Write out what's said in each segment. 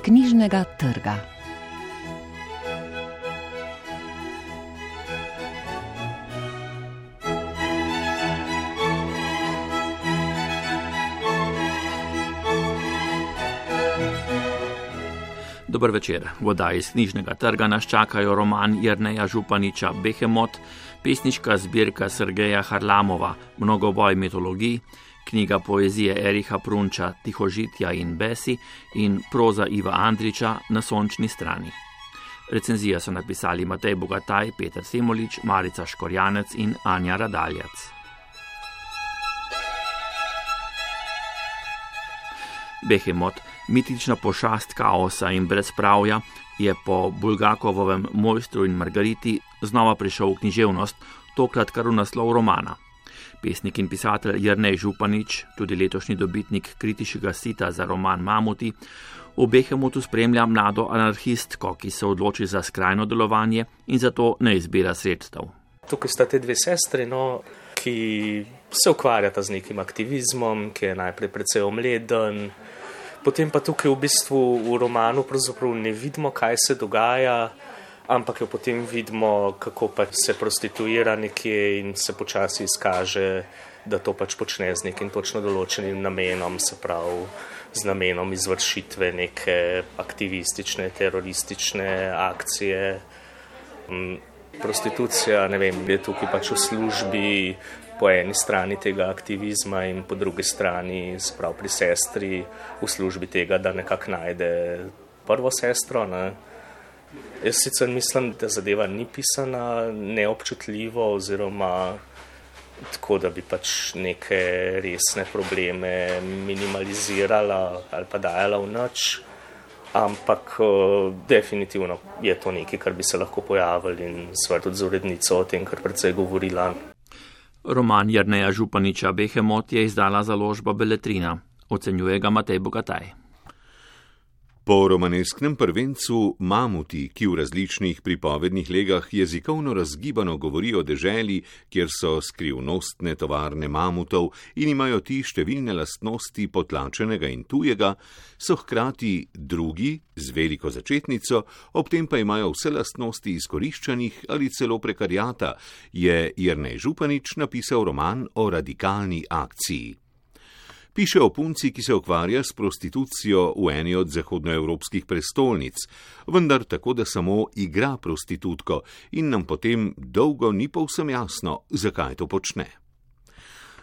knjižnega trga. Dober večer. V oddaji iz knjižnega trga nas čakajo roman Jerneja Županiča Behemot, pesniška zbirka Sergeja Harlamova Mnogoboj mitologij, knjiga poezije Ericha Prunča Tihožitja in besi in proza Iva Andriča Na sončni strani. Recenzija so napisali Matej Bogataj, Peter Semolič, Marica Škorjanec in Anja Radaljac. Behemot, mitična pošast kaosa in brezpravja, je po Bulgakovovem Mojstru in Margariti znova prišel v književnost, tokrat kar v naslov romana. Pesnik in pisatelj Jernej Županič, tudi letošnji dobitnik kritiškega sita za roman Mamuti, v Behemotu spremlja mlado anarhistko, ki se odloči za skrajno delovanje in zato ne izbira sredstev. Tukaj sta te dve sestri, ki se ukvarjata z nekim aktivizmom, ki je najprej precej omleden. Potem pa tukaj v bistvu v romanu pravzaprav ne vidimo, kaj se dogaja, ampak jo potem vidimo, kako pač se prostituira nekje in se počasi izkaže, da to pač počne z nekim točno določenim namenom, se pravi z namenom izvršitve neke aktivistične, teroristične akcije. Prostitucija, je tukaj pač v službi po eni strani tega aktivizma in po drugi strani, sprav pri sestri, v službi tega, da nekako najde prvo sestro. Jaz sicer mislim, da zadeva ni pisana neobčutljivo oziroma tako, da bi pač neke resne probleme minimalizirala ali pa dajala v nič. Ampak definitivno je to nekaj, kar bi se lahko pojavili in sva tudi z urednico o tem, kar precej govorila. Roman Jerneja Županiča Behemot je izdala založba Beletrina. Ocenjuje ga Matej Bogataj. Po romanesknem prvencu Mamuti, ki v različnih pripovednih legah jezikovno razgibano govori o deželi, kjer so skrivnostne tovarne mamutov in imajo ti številne lastnosti potlačenega in tujega, so hkrati drugi z veliko začetnico, ob tem pa imajo vse lastnosti izkoriščanih ali celo prekarjata, je Jernej Županič napisal roman o radikalni akciji. Piše o punci, ki se ukvarja s prostitucijo v eni od zahodnoevropskih prestolnic, vendar tako, da samo igra prostitutko in nam potem dolgo ni povsem jasno, zakaj to počne.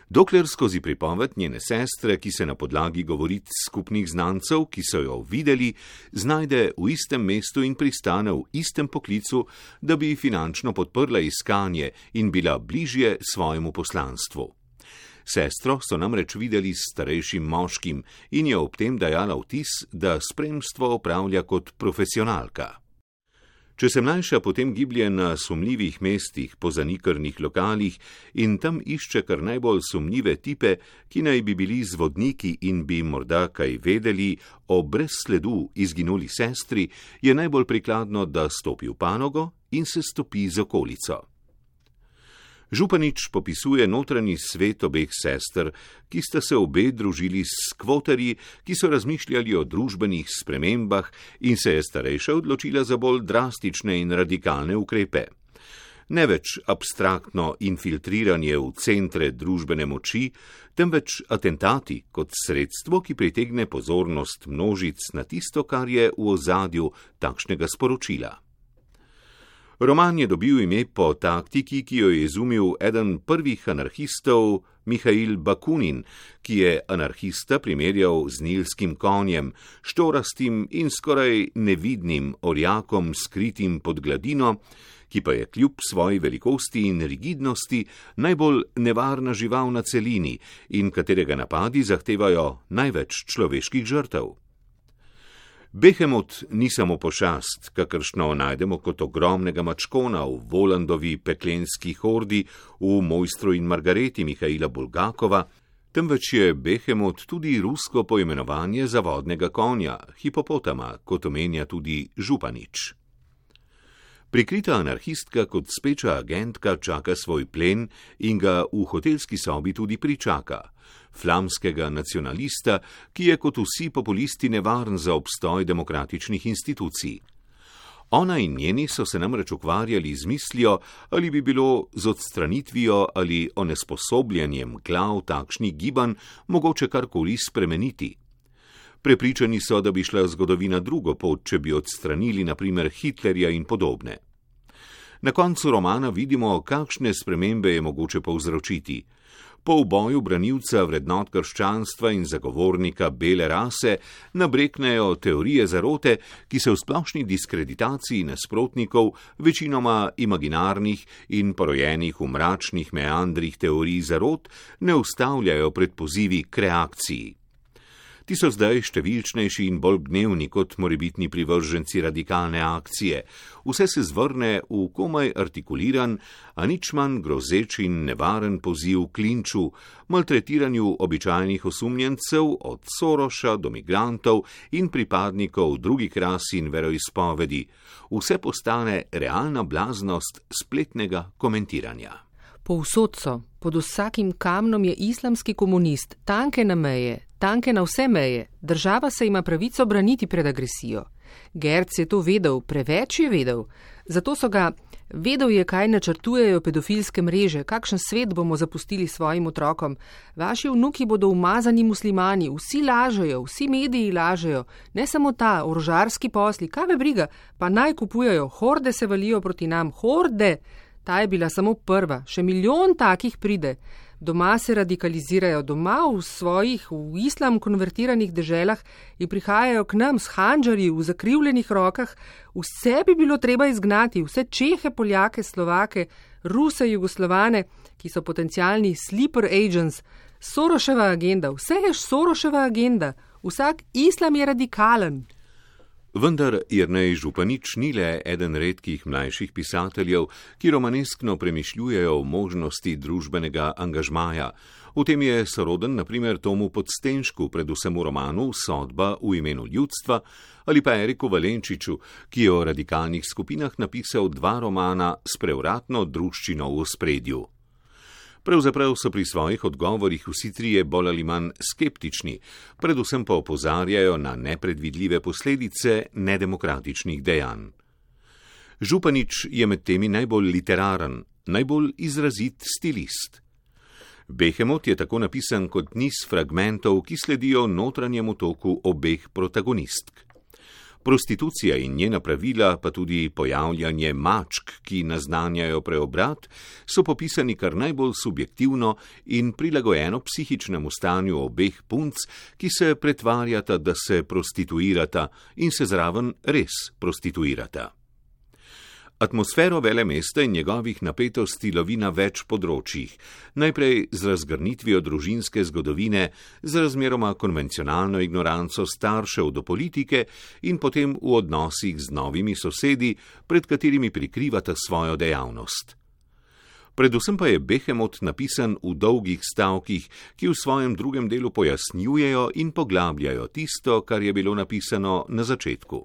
Dokler skozi pripoved njene sestre, ki se na podlagi govoric skupnih znancev, ki so jo videli, znajde v istem mestu in pristane v istem poklicu, da bi finančno podprla iskanje in bila bližje svojemu poslanstvu. Sestro so namreč videli s starejšim moškim in je ob tem dajala vtis, da spremstvo opravlja kot profesionalka. Če se mlajša potem giblje na sumljivih mestih po zanikrnih lokalih in tam išče kar najbolj sumljive tipe, ki naj bi bili zvodniki in bi morda kaj vedeli o brez sledu izginuli sestri, je najbolj prikladno, da stopi v panogo in se stopi z okolico. Županič popisuje notranji svet obeh sester, ki sta se obe družili s skvoterji, ki so razmišljali o družbenih spremembah in se je starejša odločila za bolj drastične in radikalne ukrepe. Ne več abstraktno infiltriranje v centre družbene moči, temveč atentati kot sredstvo, ki pritegne pozornost množic na tisto, kar je v ozadju takšnega sporočila. Roman je dobil ime po taktiki, ki jo je izumil eden prvih anarhistov, Mihail Bakunin, ki je anarhista primerjal z nilskim konjem, štorastim in skoraj nevidnim orjakom skritim pod gladino, ki pa je kljub svoji velikosti in rigidnosti najbolj nevarna žival na celini in katerega napadi zahtevajo največ človeških žrtev. Behemot ni samo pošast, kakršno najdemo kot ogromnega mačkona v Volandovi peklenski hordi v Mojstru in Margareti Mihaila Bulgakova, temveč je Behemot tudi rusko poimenovanje za vodnega konja, hipopotama, kot omenja tudi Županič. Prikrita anarhistka kot speča agentka čaka svoj plen in ga v hotelski sobi tudi pričaka. Flamskega nacionalista, ki je kot vsi populisti nevaren za obstoj demokratičnih institucij. Ona in njeni so se namreč ukvarjali z mislijo, ali bi bilo z odstranitvijo ali onesposobljanjem glav takšnih gibanj mogoče karkoli spremeniti. Prepričani so, da bi šla zgodovina drugo pot, če bi odstranili na primer Hitlerja in podobne. Na koncu romana vidimo, kakšne spremembe je mogoče povzročiti. Po uboju branilca vrednot krščanstva in zagovornika bele rase nabreknejo teorije zarote, ki se v splošni diskreditaciji nasprotnikov, večinoma imaginarnih in porojenih v mračnih meandrih teorij zarot, ne ustavljajo pred pozivi k reakciji. Ti so zdaj številčnejši in bolj gnevni kot morebitni privrženci radikalne akcije. Vse se zvrne v komaj artikuliran, a nič manj grozeč in nevaren poziv k linču, maltretiranju običajnih osumljencev od Soroša do migrantov in pripadnikov drugih ras in veroizpovedi. Vse postane realna blaznost spletnega komentiranja. Povsod so, pod vsakim kamnom je islamski komunist, tanke na meje, tanke na vse meje, država se ima pravico braniti pred agresijo. Gerc je to vedel, preveč je vedel, zato so ga, vedel je, kaj načrtujejo pedofilske mreže, kakšen svet bomo zapustili svojim otrokom. Vaši vnuki bodo umazani muslimani, vsi lažejo, vsi mediji lažejo, ne samo ta, orožarski posli, kaj me briga, pa naj kupujejo, horde se valijo proti nam, horde. Ta je bila samo prva, še milijon takih pride. Doma se radikalizirajo, doma v svojih, v islam konvertiranih deželah in prihajajo k nam s handžarji v zakrivljenih rokah. Vse bi bilo treba izgnati, vse Čehe, Poljake, Slovake, Ruse, Jugoslovane, ki so potencialni sleeper agents, Soroševa agenda, vse je Soroševa agenda, vsak islam je radikalen. Vendar Jernej Županič ni le eden redkih mlajših pisateljev, ki romaneskno premišljujejo o možnosti družbenega angažmaja. V tem je soroden na primer Tomu Podstenšku, predvsem v romanu Sodba v imenu ljudstva, ali pa Eriku Valenčiču, ki je o radikalnih skupinah napisal 2 romana s prevratno druščino v ospredju. Pravzaprav so pri svojih odgovorih vsi trije bolj ali manj skeptični, predvsem pa opozarjajo na nepredvidljive posledice nedemokratičnih dejanj. Županič je med temi najbolj literaren, najbolj izrazit stilist. Behemot je tako napisan kot niz fragmentov, ki sledijo notranjemu toku obeh protagonistk. Prostitucija in njena pravila, pa tudi pojavljanje mačk, ki naznanjajo preobrat, so popisani kar najbolj subjektivno in prilagojeno psihičnemu stanju obeh punc, ki se pretvarjata, da se prostituirata in se zraven res prostituirata. Atmosfero velemesta in njegovih napetosti lovi na več področjih, najprej z razgrnitvijo družinske zgodovine, z razmeroma konvencionalno ignoranco staršev do politike in potem v odnosih z novimi sosedi, pred katerimi prikrivata svojo dejavnost. Predvsem pa je Behemot napisan v dolgih stavkih, ki v svojem drugem delu pojasnjujejo in poglabljajo tisto, kar je bilo napisano na začetku.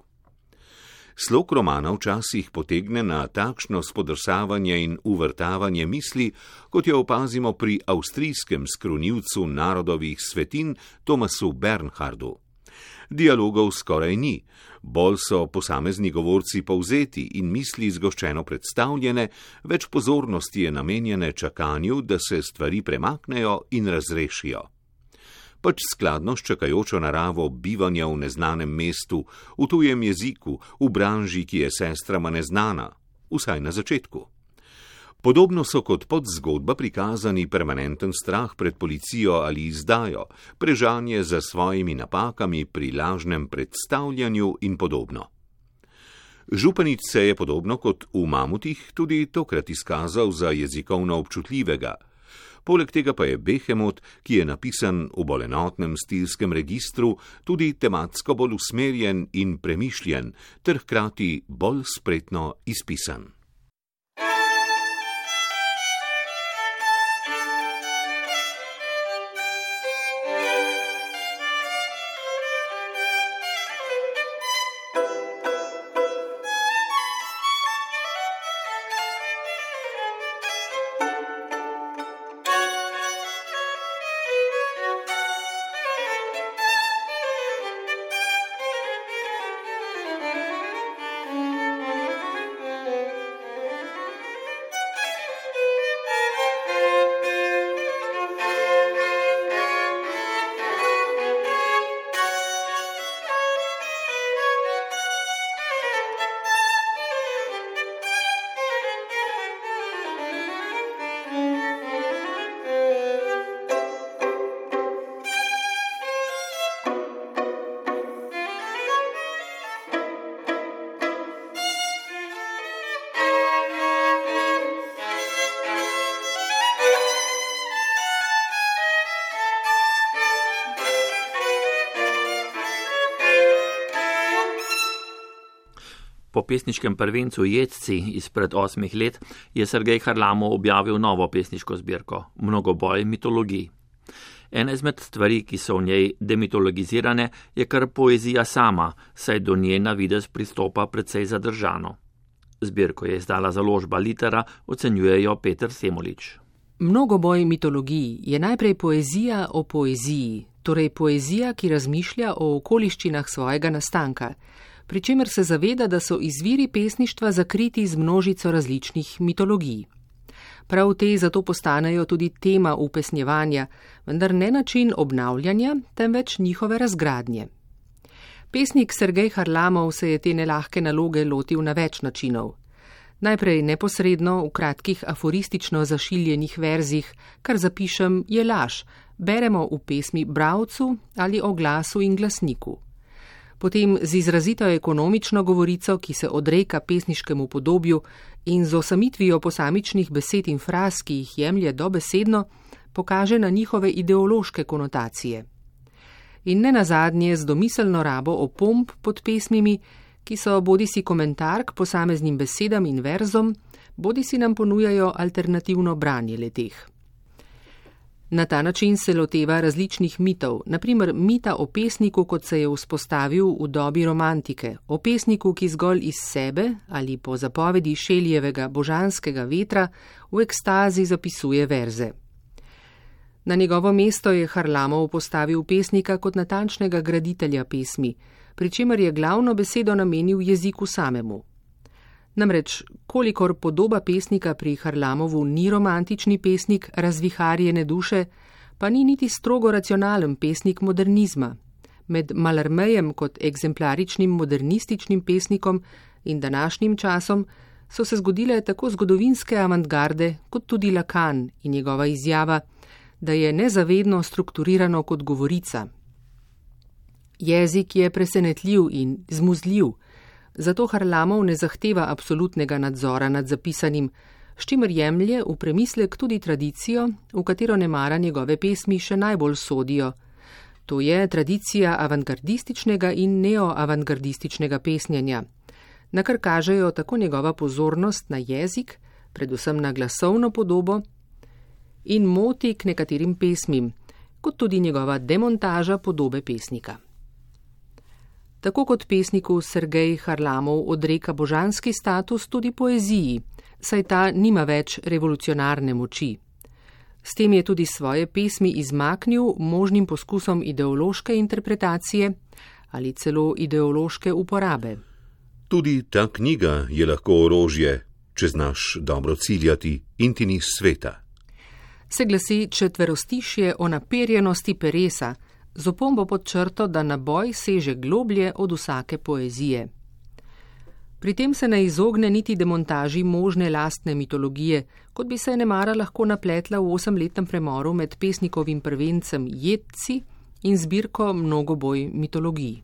Slog romana včasih potegne na takšno spodrsavanje in uvrtavanje misli, kot jo opazimo pri avstrijskem skrunilcu narodovih svetin Thomasu Bernhardu. Dialogov skoraj ni, bolj so posamezni govorci povzeti in misli zgoščeno predstavljene, več pozornosti je namenjene čakanju, da se stvari premaknejo in razrešijo. Pač skladno s čakajočo naravo bivanja v neznanem mestu, v tujem jeziku, v branži, ki je sestrama neznana, vsaj na začetku. Podobno so kot podzgodba prikazani permanenten strah pred policijo ali izdajo, prežanje za svojimi napakami pri lažnem predstavljanju in podobno. Županič se je podobno kot v Mamutih tudi tokrat izkazal za jezikovno občutljivega. Poleg tega pa je Behemot, ki je napisan v bolj enotnem stilskem registru, tudi tematsko bolj usmerjen in premišljen, ter hkrati bolj spretno izpisan. Po pesniškem prvencu Jedci izpred 8 let je Sergej Harlamov objavil novo pesniško zbirko Mnogoboj mitologij. Ena izmed stvari, ki so v njej demitologizirane, je kar poezija sama, saj do nje na videz pristopa precej zadržano. Zbirko je izdala založba Litera, ocenjujejo Peter Semolič. Mnogoboj mitologij je najprej poezija o poeziji, torej poezija, ki razmišlja o okoliščinah svojega nastanka, pri čemer se zaveda, da so izviri pesništva zakriti z množico različnih mitologij. Prav te zato postanejo tudi tema upesnjevanja, vendar ne način obnavljanja, temveč njihove razgradnje. Pesnik Sergej Harlamov se je te nelahke naloge lotil na več načinov. Najprej neposredno v kratkih aforistično zašiljenih verzih, kar zapišem je laž, beremo v pesmi bralcu ali o glasu in glasniku. Potem z izrazito ekonomično govorico, ki se odreka pesniškemu podobju in z osamitvijo posamičnih besed in fraz, ki jih jemlje dobesedno, pokaže na njihove ideološke konotacije. In ne nazadnje z domiselno rabo opomb pod pesmimi, ki so bodisi komentar k posameznim besedam in verzom, bodisi nam ponujajo alternativno branje leteh. Na ta način se loteva različnih mitov, naprimer mita o pesniku, kot se je vzpostavil v dobi romantike, o pesniku, ki zgolj iz sebe ali po zapovedi Šeljevega božanskega vetra v ekstazi zapisuje verze. Na njegovo mesto je Harlamov postavil pesnika kot natančnega graditelja pesmi, pri čemer je glavno besedo namenil jeziku samemu. Namreč, kolikor podoba pesnika pri Harlamovu ni romantični pesnik razviharjene duše, pa ni niti strogo racionalen pesnik modernizma. Med Mallarmejem kot eksemplaričnim modernističnim pesnikom in današnjim časom so se zgodile tako zgodovinske avantgarde kot tudi Lacan in njegova izjava, da je nezavedno strukturirano kot govorica. Jezik je presenetljiv in zmuzljiv, zato Harlamov ne zahteva absolutnega nadzora nad zapisanim, s čimer jemlje v premislek tudi tradicijo, v katero nemara njegove pesmi še najbolj sodijo. To je tradicija avantgardističnega in neoavantgardističnega pesnjenja, na kar kažejo tako njegova pozornost na jezik, predvsem na glasovno podobo, in moti k nekaterim pesmim, kot tudi njegova demontaža podobe pesnika. Tako kot pesniku Sergej Harlamov odreka božanski status tudi poeziji, saj ta nima več revolucionarne moči. S tem je tudi svoje pesmi izmaknil možnim poskusom ideološke interpretacije ali celo ideološke uporabe. Tudi ta knjiga je lahko orožje, če znaš dobro ciljati in ti ni sveta. Se glasi četverostišje o naperjenosti peresa, z opombo pod črto, da naboj seže globlje od vsake poezije. Pri tem se ne izogne niti demontaži možne lastne mitologije, kot bi se nemara lahko napletla v 8-letnem premoru med pesnikovim prvencem Jedci in zbirko Mnogoboj mitologij.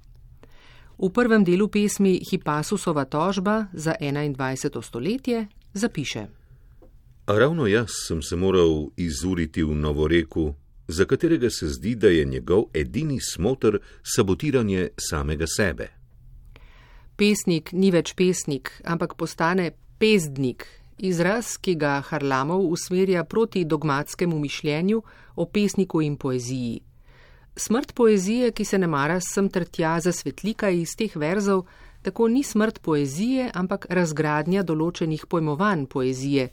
V prvem delu pesmi Hippasusova tožba za 21. stoletje zapiše: A ravno jaz sem se moral izuriti v Novoreku, za katerega se zdi, da je njegov edini smoter sabotiranje samega sebe. Pesnik ni več pesnik, ampak postane pezdnik, izraz, ki ga Harlamov usmerja proti dogmatskemu mišljenju o pesniku in poeziji. Smrt poezije, ki se nemara sem ter tja zasvetlika iz teh verzov, tako ni smrt poezije, ampak razgradnja določenih pojmovanj poezije,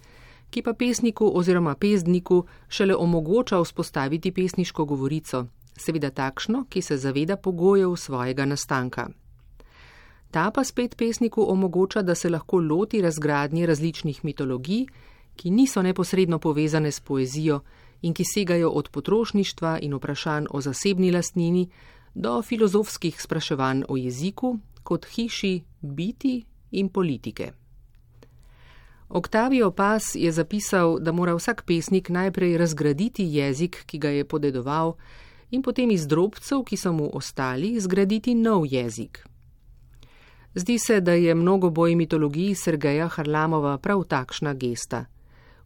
ki pa pesniku oziroma pezdniku šele omogoča vzpostaviti pesniško govorico, seveda takšno, ki se zaveda pogojev svojega nastanka. Ta pa spet pesniku omogoča, da se lahko loti razgradnje različnih mitologij, ki niso neposredno povezane s poezijo in ki segajo od potrošništva in vprašanj o zasebni lastnini do filozofskih spraševanj o jeziku kot hiši biti in politike. Octavio Paz je zapisal, da mora vsak pesnik najprej razgraditi jezik, ki ga je podedoval, in potem iz drobcev, ki so mu ostali, zgraditi nov jezik. Zdi se, da je Mnogoboj mitologiji Sergeja Harlamova prav takšna gesta.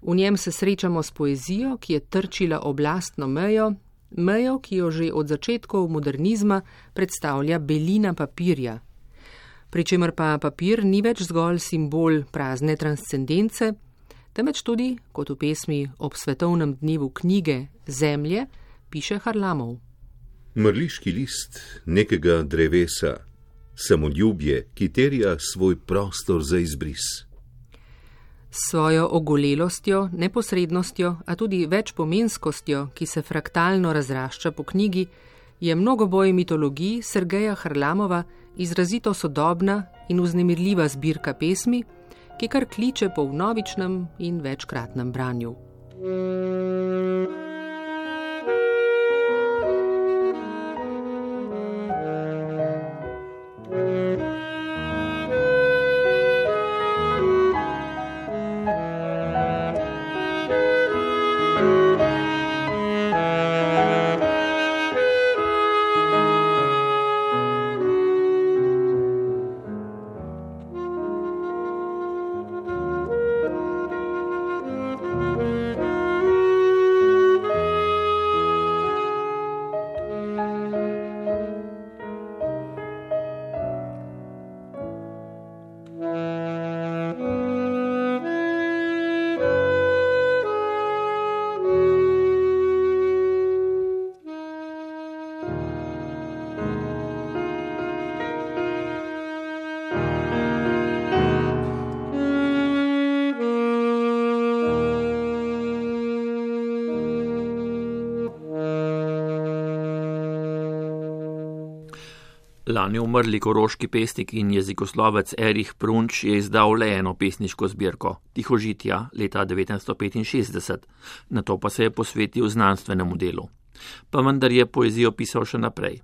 V njem se srečamo s poezijo, ki je trčila oblastno mejo, ki jo že od začetkov modernizma predstavlja belina papirja. pri čemer pa papir ni več zgolj simbol prazne transcendence, temveč tudi, kot v pesmi ob svetovnem dnevu knjige Zemlje, piše Harlamov. Mrliški list nekega drevesa, samoljubje, ki terja svoj prostor za izbris. S svojo ogolelostjo, neposrednostjo, a tudi večpomenskostjo, ki se fraktalno razrašča po knjigi, je mnogoboj mitologij Sergeja Harlamova izrazito sodobna in vznemirljiva zbirka pesmi, ki kar kliče po vnovičnem in večkratnem branju. Lani umrli koroški pesnik in jezikoslovec Erich Prunč je izdal le eno pesniško zbirko, Tihožitja, leta 1965, nato pa se je posvetil znanstvenemu delu. Pa vendar je poezijo pisal še naprej.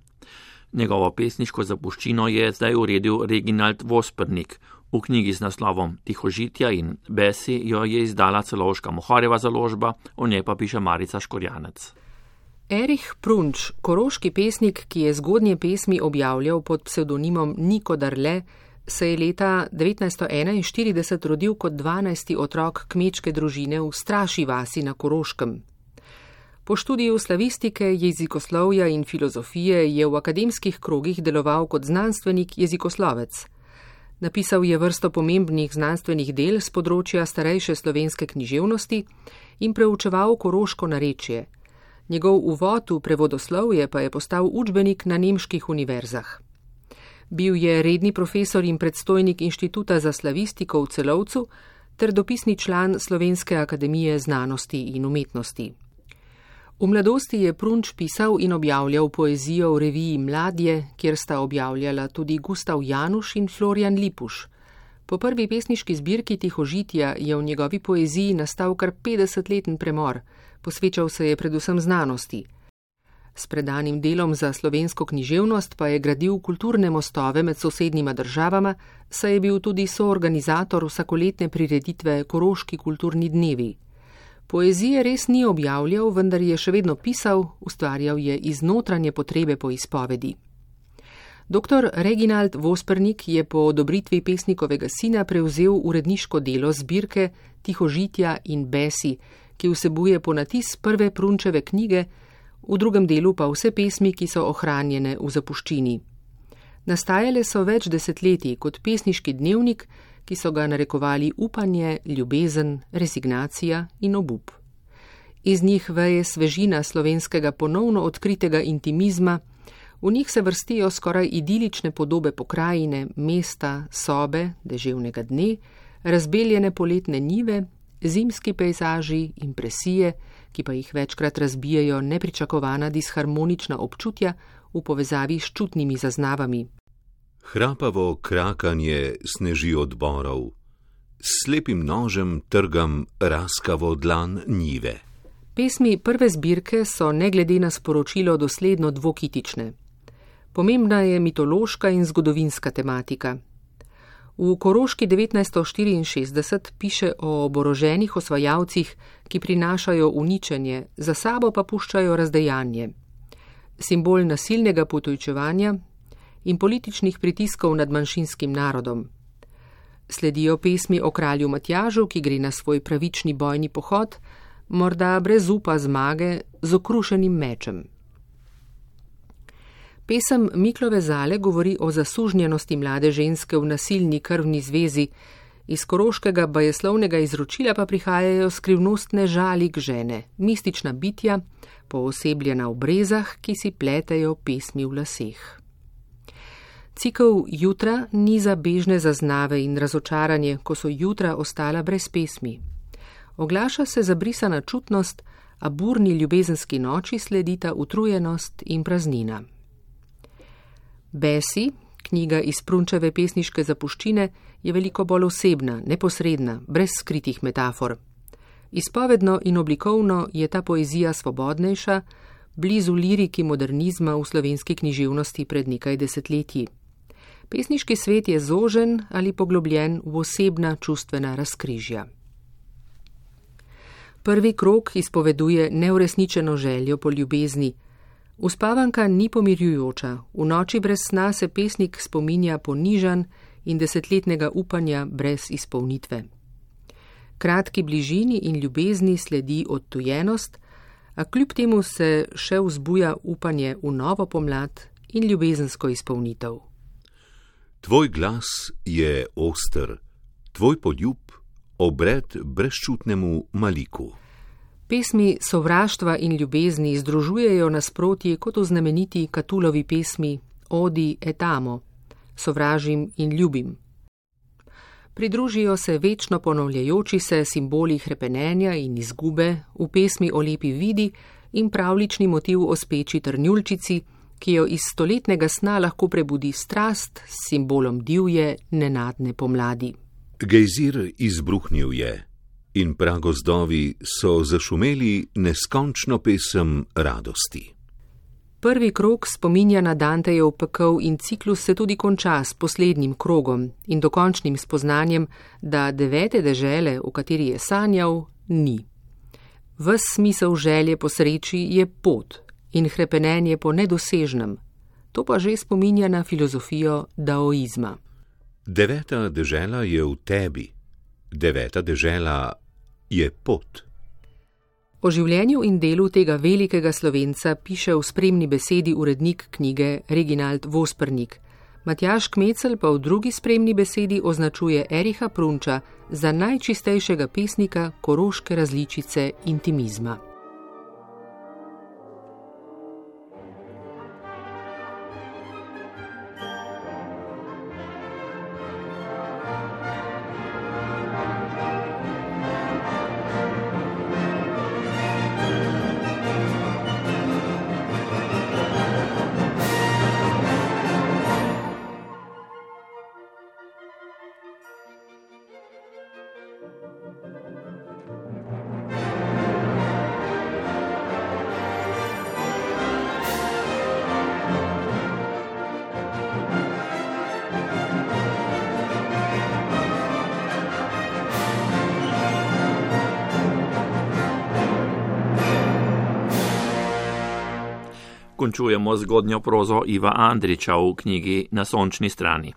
Njegovo pesniško zapuščino je zdaj uredil Reginald Vospernik. V knjigi z naslovom Tihožitja in Besi jo je izdala Celovška Mohorjeva založba, o njej pa piše Marica Škorjanec. Erich Prunč, koroški pesnik, ki je zgodnje pesmi objavljal pod psevdonimom Niko Darle, se je leta 1941 rodil kot 12. otrok kmečke družine v Straši vasi na Koroškem. Po študiju slavistike, jezikoslovja in filozofije je v akademskih krogih deloval kot znanstvenik jezikoslovec. Napisal je vrsto pomembnih znanstvenih del z področja starejše slovenske književnosti in preučeval koroško narečje. Njegov uvod v prevodoslovje pa je postal učbenik na nemških univerzah. Bil je redni profesor in predstojnik Inštituta za slavistiko v Celovcu ter dopisni član Slovenske akademije znanosti in umetnosti. V mladosti je Prunč pisal in objavljal poezijo v reviji Mladje, kjer sta objavljala tudi Gustav Januš in Florjan Lipuš. Po prvi pesniški zbirki Tihožitja je v njegovi poeziji nastal kar 50-leten premor, posvečal se je predvsem znanosti. S predanim delom za slovensko književnost pa je gradil kulturne mostove med sosednjima državama, saj je bil tudi soorganizator vsakoletne prireditve Koroški kulturni dnevi. Poezije res ni objavljal, vendar je še vedno pisal, ustvarjal je iz notranje potrebe po izpovedi. Dr. Reginald Vospernik je po odobritvi pesnikovega sina prevzel uredniško delo zbirke Tihožitja in Besi, ki vsebuje ponatis prve Prunčeve knjige, v drugem delu pa vse pesmi, ki so ohranjene v zapuščini. Nastajale so več desetletij kot pesniški dnevnik, ki so ga narekovali upanje, ljubezen, rezignacija in obup. Iz njih veje svežina slovenskega ponovno odkritega intimizma, v njih se vrstijo skoraj idilične podobe pokrajine, mesta, sobe, deževnega dne, razbeljene poletne njive, zimski pejzaži, impresije, ki pa jih večkrat razbijajo nepričakovana disharmonična občutja v povezavi s čutnimi zaznavami. Hrapavo krakanje sneži od borov, s slepim nožem trgam raskavo dlan njive. Pesmi prve zbirke so ne glede na sporočilo dosledno dvokitične. Pomembna je mitološka in zgodovinska tematika. V Koroški 1964 piše o oboroženih osvajalcih, ki prinašajo uničenje, za sabo pa puščajo razdejanje. Simbol nasilnega potujčevanja in političnih pritiskov nad manjšinskim narodom. Sledijo pesmi o kralju Matjažu, ki gre na svoj pravični bojni pohod, morda brez upa zmage, z okrušenim mečem. Pesem Miklove Zale govori o zasužnjenosti mlade ženske v nasilni krvni zvezi, iz koroškega bajeslovnega izročila pa prihajajo skrivnostne žalik žene, mistična bitja, poosebljena v brezah, ki si pletejo pesmi v laseh. Cikel Jutra niza bežne zaznave in razočaranje, ko so jutra ostala brez pesmi. Oglaša se zabrisana čutnost, a burni ljubezenski noči sledita utrujenost in praznina. Besi, knjiga iz Prunčeve pesniške zapuščine, je veliko bolj osebna, neposredna, brez skritih metafor. Izpovedno in oblikovno je ta poezija svobodnejša, blizu liriki modernizma v slovenski književnosti pred nekaj desetletji. Pesniški svet je zožen ali poglobljen v osebna čustvena razkrižja. Prvi krog izpoveduje neuresničeno željo po ljubezni. Uspavanka ni pomirjujoča, v noči brez sna se pesnik spominja ponižan in desetletnega upanja brez izpolnitve. Kratki bližini in ljubezni sledi odtujenost, a kljub temu se še vzbuja upanje v novo pomlad in ljubezensko izpolnitev. Tvoj glas je oster, tvoj poljub obred brezčutnemu maliku. Pesmi sovraštva in ljubezni združujejo nasprotji kot v znameniti Catulovi pesmi Odi et amo, sovražim in ljubim. Pridružijo se večno ponavljajoči se simboli hrepenenja in izgube v pesmi o lepi vidi in pravlični motiv o speči trnjulčici, ki jo iz stoletnega sna lahko prebudi strast s simbolom divje, nenadne pomladi. Gejzir izbruhnil je in pragozdovi so zašumeli neskončno pesem radosti. Prvi krog spominja na Dantejev pekel in ciklus se tudi konča s poslednjim krogom in dokončnim spoznanjem, da 9. dežele, v kateri je sanjal, ni. Ves smisel želje po sreči je pot in hrepenenje po nedosežnem. To pa že spominja na filozofijo daoizma. 9. dežela je v tebi, 9. dežela je pot. O življenju in delu tega velikega Slovenca piše v spremni besedi urednik knjige Reginald Vospernik. Matjaž Kmecel pa v drugi spremni besedi označuje Ericha Prunča za najčistejšega pesnika koroške različice intimizma. Končujemo zgodnjo prozo Iva Andrića v knjigi Na sončni strani.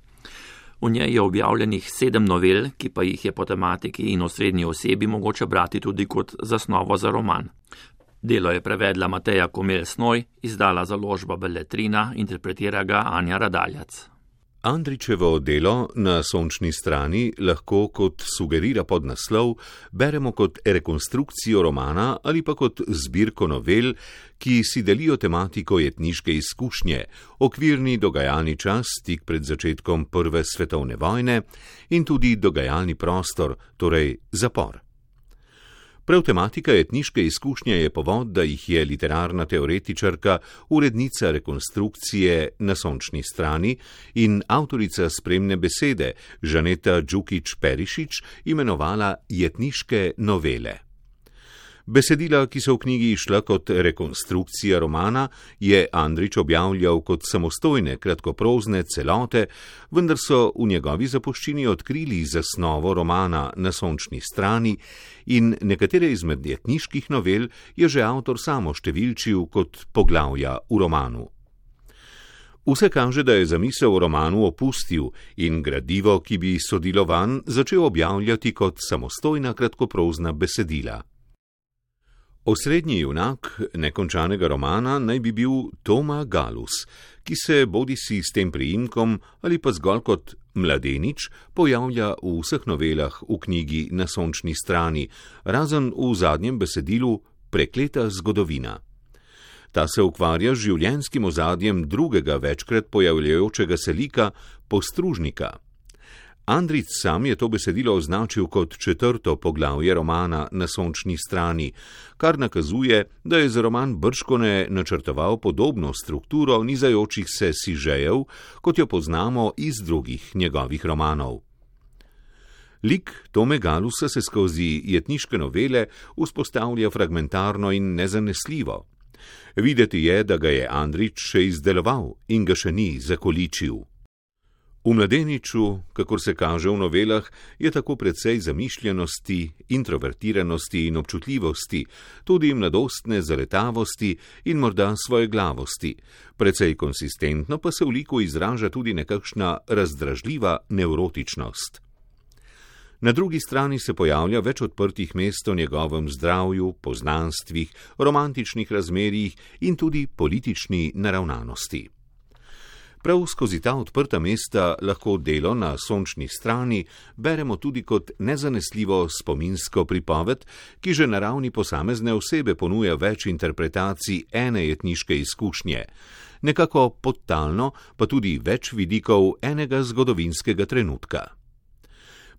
V njej je objavljenih 7 novel, ki pa jih je po tematiki in osrednji osebi mogoče brati tudi kot zasnovo za roman. Delo je prevedla Mateja Komel-Snoj, izdala založba Beletrina, interpretira ga Anja Radaljac. Andrićevo delo Na sončni strani lahko, kot sugerira podnaslov, beremo kot rekonstrukcijo romana ali pa kot zbirko novel, ki si delijo tematiko jetniške izkušnje, okvirni dogajalni čas tik pred začetkom Prve svetovne vojne in tudi dogajalni prostor, torej zapor. Prav tematika etniške izkušnje je povod, da jih je literarna teoretičarka, urednica rekonstrukcije Na sončni strani in avtorica spremne besede Žaneta Đukić-Perišić imenovala jetniške novele. Besedila, ki so v knjigi išla kot rekonstrukcija romana, je Andrić objavljal kot samostojne kratkoprozne celote, vendar so v njegovi zapuščini odkrili zasnovo romana Na sončni strani in nekatere izmed jetniških novel je že avtor samo številčil kot poglavja v romanu. Vse kaže, da je zamisel o romanu opustil in gradivo, ki bi sodilo vanj, začel objavljati kot samostojna kratkoprozna besedila. Osrednji junak nekončanega romana naj bi bil Toma Galus, ki se bodisi s tem priimkom ali pa zgolj kot mladenič pojavlja v vseh novelah v knjigi Na sončni strani, razen v zadnjem besedilu Prekleta zgodovina. Ta se ukvarja z življenjskim ozadjem drugega večkrat pojavljajočega se lika, Postružnika. Andrić sam je to besedilo označil kot 4. poglavje romana Na sončni strani, kar nakazuje, da je za roman bržkone načrtoval podobno strukturo nizajočih se sižejev, kot jo poznamo iz drugih njegovih romanov. Lik Tome Galusa se skozi jetniške novele vzpostavlja fragmentarno in nezanesljivo. Videti je, da ga je Andrić še izdeloval in ga še ni zakoličil. V Mladeniču, kakor se kaže v novelah, je tako precej zamišljenosti, introvertiranosti in občutljivosti, tudi mladostne zaletavosti in morda svojeglavosti. Precej konsistentno pa se v liku izraža tudi nekakšna razdražljiva nevrotičnost. Na drugi strani se pojavlja več odprtih mest o njegovem zdravju, poznanstvih, romantičnih razmerjih in tudi politični naravnanosti. Prav skozi ta odprta mesta lahko Delo na sončni strani beremo tudi kot nezanesljivo spominsko pripoved, ki že na ravni posamezne osebe ponuja več interpretacij ene jetniške izkušnje, nekako podtalno pa tudi več vidikov enega zgodovinskega trenutka.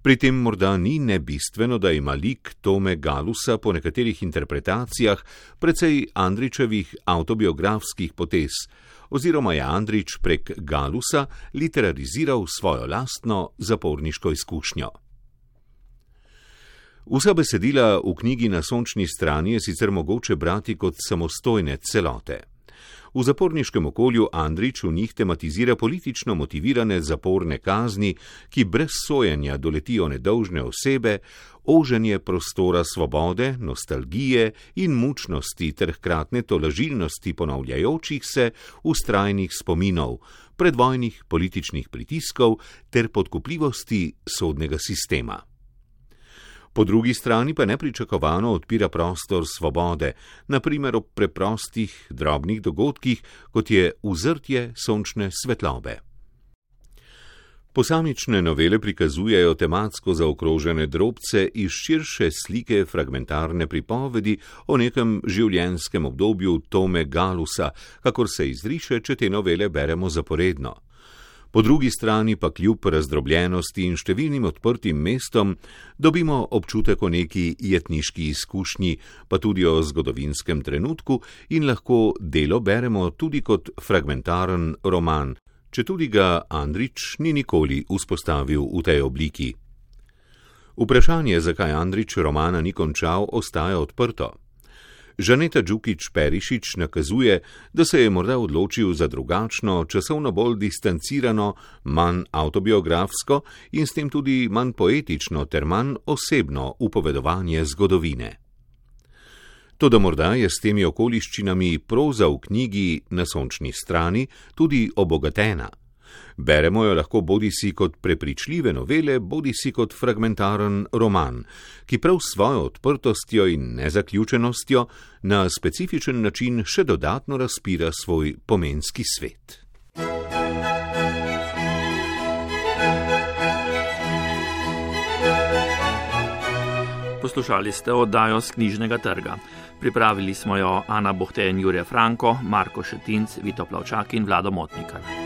Pri tem morda ni nebistveno, da ima lik Tome Galusa po nekaterih interpretacijah precej Andrićevih avtobiografskih potez, oziroma je Andrić prek Galusa literariziral svojo lastno zaporniško izkušnjo. Vsa besedila v knjigi Na sončni strani je sicer mogoče brati kot samostojne celote. V zaporniškem okolju Andrić v njih tematizira politično motivirane zaporne kazni, ki brez sojenja doletijo nedolžne osebe, oženje prostora svobode, nostalgije in mučnosti ter hkratne tolažilnosti ponavljajočih se vztrajnih spominov, predvojnih političnih pritiskov ter podkupljivosti sodnega sistema. Po drugi strani pa nepričakovano odpira prostor svobode, na primer ob preprostih, drobnih dogodkih, kot je uzrtje sončne svetlobe. Posamične novele prikazujejo tematsko zaokrožene drobce iz širše slike fragmentarne pripovedi o nekem življenjskem obdobju Tome Galusa, kakor se izriše, če te novele beremo zaporedno. Po drugi strani pa kljub razdrobljenosti in številnim odprtim mestom dobimo občutek o neki jetniški izkušnji, pa tudi o zgodovinskem trenutku in lahko Delo beremo tudi kot fragmentaren roman, četudi ga Andrić ni nikoli vzpostavil v tej obliki. Vprašanje, zakaj Andrić romana ni končal, ostaja odprto. Žaneta Đukić-Perišić nakazuje, da se je morda odločil za drugačno, časovno bolj distancirano, manj avtobiografsko in s tem tudi manj poetično ter manj osebno upovedovanje zgodovine. Toda morda je s temi okoliščinami proza v knjigi Na sončni strani tudi obogatena. Beremo jo lahko bodisi kot prepričljive novele, bodisi kot fragmentaren roman, ki prav s svojo odprtostjo in nezaključenostjo na specifičen način še dodatno razpira svoj pomenski svet. Poslušali ste oddajo s Knjižnega trga. Pripravili smo jo Ana Bohte in Jure Franko, Marko Šetinc, Vito Plavčak in Vlado Motnikar.